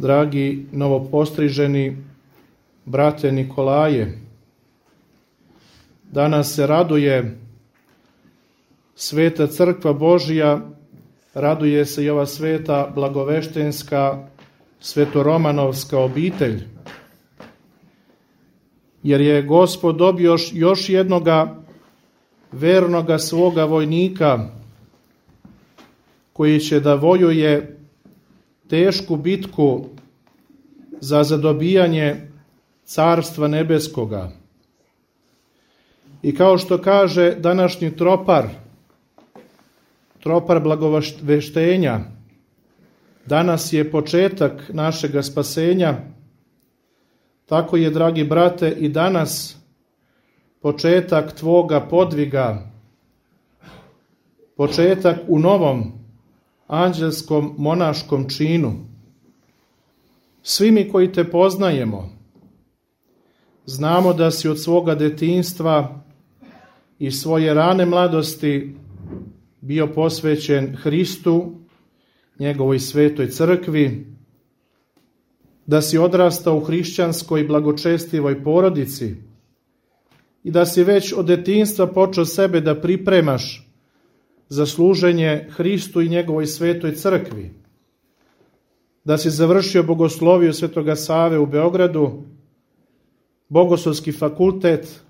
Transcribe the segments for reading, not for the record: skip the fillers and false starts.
dragi novopostriženi brate Nikolaje, danas se raduje Sveta Crkva Božija, raduje se i ova sveta blagoveštenska svetoromanovska obitelj, jer je Gospod dobio još jednoga vernoga svoga vojnika koji će da vojuje tešku bitku za zadobijanje Carstva nebeskoga. I kao što kaže današnji tropar blagoveštenja, danas je početak našega spasenja, tako je, dragi brate, i danas početak tvoga podviga, početak u novom anđelskom monaškom činu. Svi mi koji te poznajemo, znamo da si od svoga detinjstva i svoje rane mladosti bio posvećen Hristu, njegovoj svetoj crkvi, da si odrastao u hrišćanskoj blagočestivoj porodici i da si već od detinjstva počeo sebe da pripremaš za služenje Hristu i njegovoj svetoj crkvi, da si završio bogosloviju Svetoga Save u Beogradu, Bogoslovski fakultet,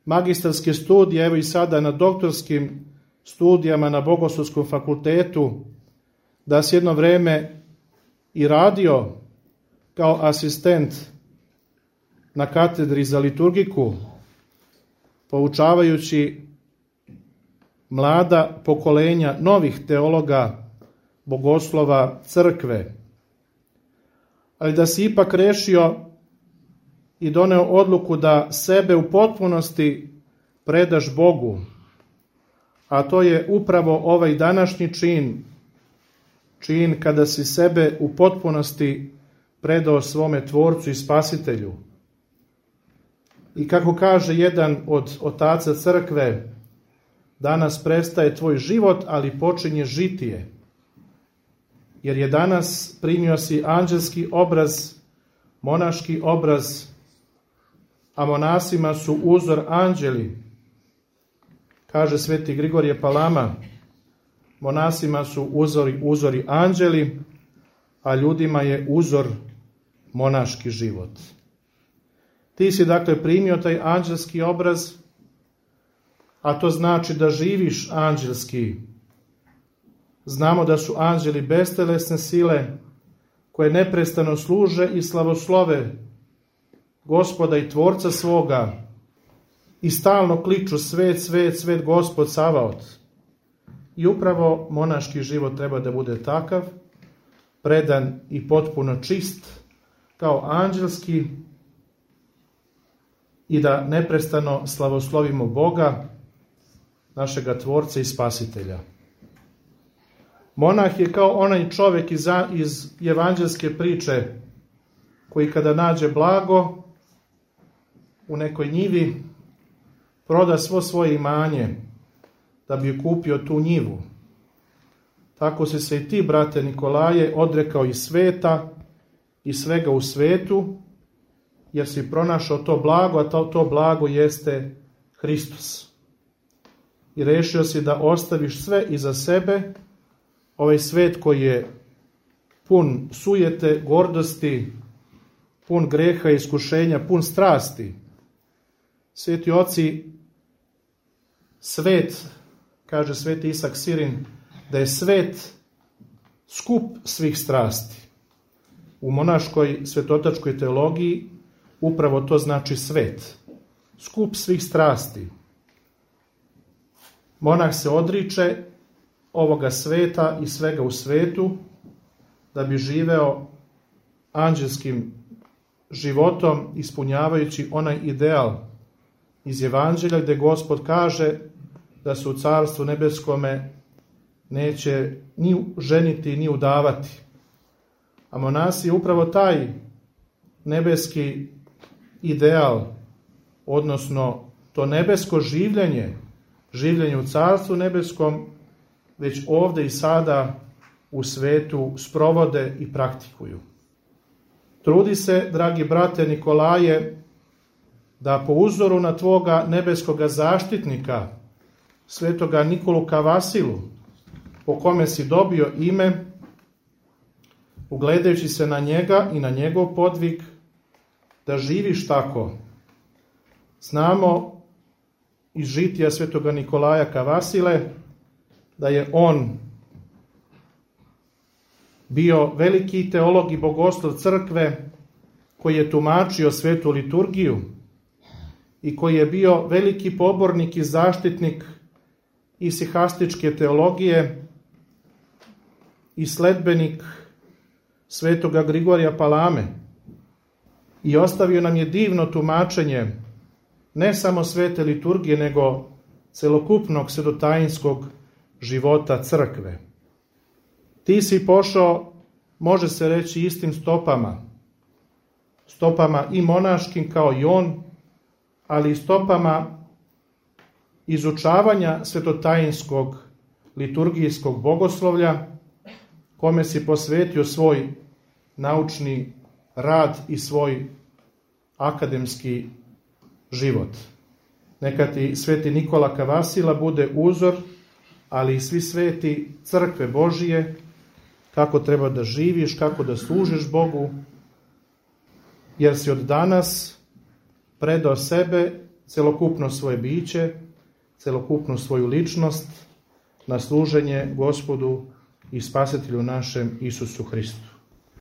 magistarske studije, evo i sada na doktorskim studijama na Bogoslovskom fakultetu, da si jedno vreme i radio kao asistent na katedri za liturgiku, poučavajući mlada pokolenja novih teologa, bogoslova crkve, ali da si ipak rešio i doneo odluku da sebe u potpunosti predaš Bogu, a to je upravo ovaj današnji čin kada si sebe u potpunosti predao svome Tvorcu i Spasitelju. I kako kaže jedan od otaca crkve, danas prestaje tvoj život, ali počinje žitije. Jer je danas primio si anđelski obraz, monaški obraz, a monasima su uzor anđeli. Kaže sveti Grigorije Palama, monasima su uzori anđeli, a ljudima je uzor monaški život. Ti si dakle primio taj anđelski obraz, a to znači da živiš anđelski. Znamo da su anđeli bestelesne sile koje neprestano služe i slavoslove Gospoda i Tvorca svoga i stalno kliču svet, svet, svet Gospod Savaot. I upravo monaški život treba da bude takav, predan i potpuno čist, kao anđelski, i da neprestano slavoslovimo Boga, našega Tvorca i Spasitelja. Monah je kao onaj čovjek iz evanđelske priče koji kada nađe blago u nekoj njivi, proda svo svoje imanje da bi kupio tu njivu. Tako si se i ti, brate Nikolaje, odrekao i sveta i svega u svetu, jer si pronašao to blago, a to blago jeste Hristos. I rešio si da ostaviš sve iza sebe, ovaj svet koji je pun sujete, gordosti, pun greha i iskušenja, pun strasti. Sveti oci, svet, kaže sveti Isak Sirin, da je svet skup svih strasti. U monaškoj svetotačkoj teologiji upravo to znači svet, skup svih strasti. Monah se odriče ovoga sveta i svega u svetu da bi živeo anđelskim životom, ispunjavajući onaj ideal iz Evanđelja gde Gospod kaže da se u Carstvu nebeskome neće ni ženiti ni udavati. A monasi je upravo taj nebeski ideal, odnosno to nebesko življenje u Carstvu nebeskom, već ovde i sada u svetu sprovode i praktikuju. Trudi se, dragi brate Nikolaje, da po uzoru na tvoga nebeskoga zaštitnika, svetoga Nikolu Kavasilu, po kome si dobio ime, ugledajući se na njega i na njegov podvig, da živiš tako. Znamo iz žitija svetoga Nikolaja Kavasile da je on bio veliki teolog i bogoslov crkve koji je tumačio svetu liturgiju i koji je bio veliki pobornik i zaštitnik i sihastičke teologije i sledbenik svetoga Grigorija Palame. I ostavio nam je divno tumačenje ne samo svete liturgije, nego celokupnog svetotajinskog života crkve. Ti si pošao, može se reći, istim stopama i monaškim kao i on, ali i stopama izučavanja svetotajinskog liturgijskog bogoslovlja, kome si posvetio svoj naučni rad i svoj akademski život. Neka ti sveti Nikola Kavasila bude uzor, ali i svi sveti crkve Božije, kako treba da živiš, kako da služiš Bogu, jer si od danas predao sebe, celokupno svoje biće, celokupnu svoju ličnost na služenje Gospodu i Spasitelju našem Isusu Hristu.